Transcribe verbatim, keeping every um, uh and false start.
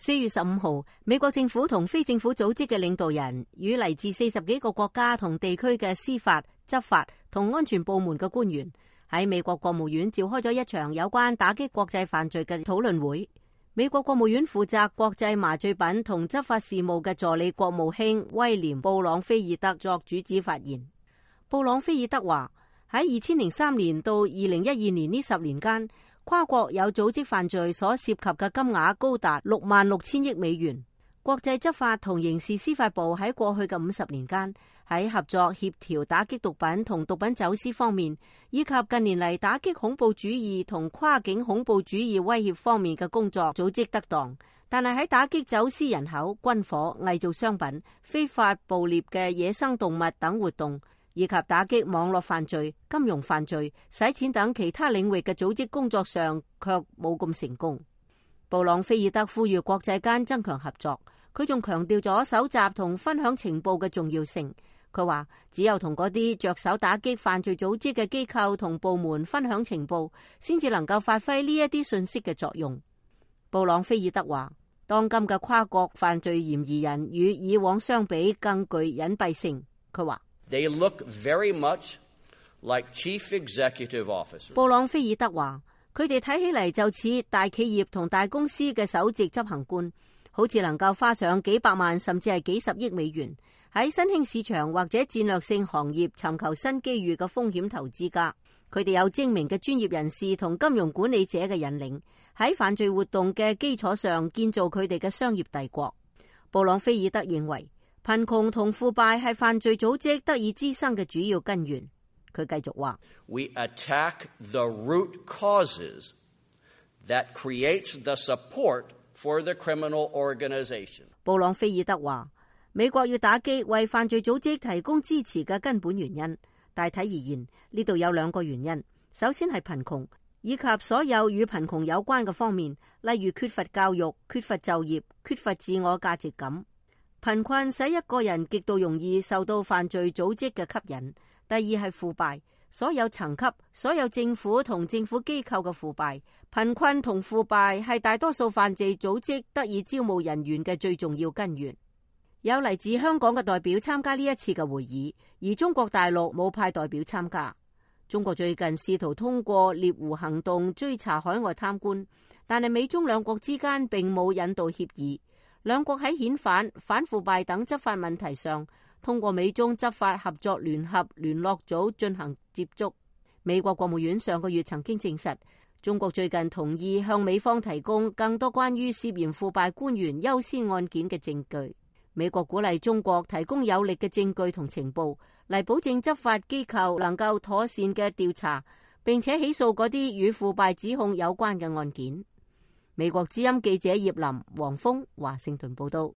四月十五號，美國政府同非政府組織嘅領導人與嚟自四十幾個國家同地區嘅司法、執法同安全部門嘅官員喺美國國務院召開咗一場有關打擊國際犯罪嘅討論會。美國國務院負責國際麻醉品同執法事務嘅助理國務卿威廉布朗菲爾德作主旨發言。布朗菲爾德話：喺二千零三年到二零一二年呢十年間，跨國有組織犯罪所涉及嘅金額高達六萬六千億美元。國際執法同刑事司法部喺過去嘅五十年間，喺合作協調打擊毒品同毒品走私方面，以及近年嚟打擊恐怖主義同跨境恐怖主義威脅方面嘅工作組織得當。但係喺打擊走私人口、軍火、偽造商品、非法捕獵嘅野生動物等活動，以及打擊網絡犯罪、金融犯罪、洗錢等其他領域嘅組織工作上，卻冇咁成功。布朗菲爾德呼籲國際間增強合作，佢仲強調咗搜集同分享情報嘅重要性。佢話只有同嗰啲着手打擊犯罪組織嘅機構同部門分享情報，先至能夠發揮呢一啲信息嘅作用。布朗菲爾德話：當今嘅跨國犯罪嫌疑人與以往相比更具隱蔽性。佢話They look very much like chief executive officers. 布朗菲爾德話：佢哋睇起嚟就似大企業同大公司嘅首席執行官，好似能夠花上幾百萬甚至係幾十億美元喺新興市場或者戰略性行業尋求新機遇嘅風險投資家。佢哋有精明嘅專業人士同金融管理者嘅引領，喺犯罪活動嘅基礎上建造佢哋嘅商業帝國。布朗菲爾德認為，貧窮同腐敗係犯罪組織得以滋生嘅主要根源。佢繼續話 We attack the root causes that create the support for the criminal organization. 布朗菲爾德話：美國要打擊為犯罪組織提供支持嘅根本原因。大體而言，呢度有兩個原因。首先係貧窮，以及所有與貧窮有關嘅方面，例如缺乏教育、缺乏就業、缺乏自我價值感。貧困使一個人極度容易受到犯罪組織嘅吸引。第二係腐敗，所有層級、所有政府同政府機構嘅腐敗。貧困同腐敗係大多數犯罪組織得以招募人員嘅最重要根源。有嚟自香港嘅代表參加呢一次嘅會議，而中國大陸冇派代表參加。中國最近試圖通過獵狐行動追查海外貪官，但係美中兩國之間並冇引渡協議。兩國喺遣返、反腐敗等執法問題上，通過美中執法合作聯合聯絡組進行接觸。美國國務院上個月曾經證實，中國最近同意向美方提供更多關於涉嫌腐敗官員優先案件嘅證據。美國鼓勵中國提供有力嘅證據同情報，嚟保證執法機構能夠妥善嘅調查，並且起訴嗰啲與腐敗指控有關嘅案件。美國之音記者葉林、黃峰華盛頓報道。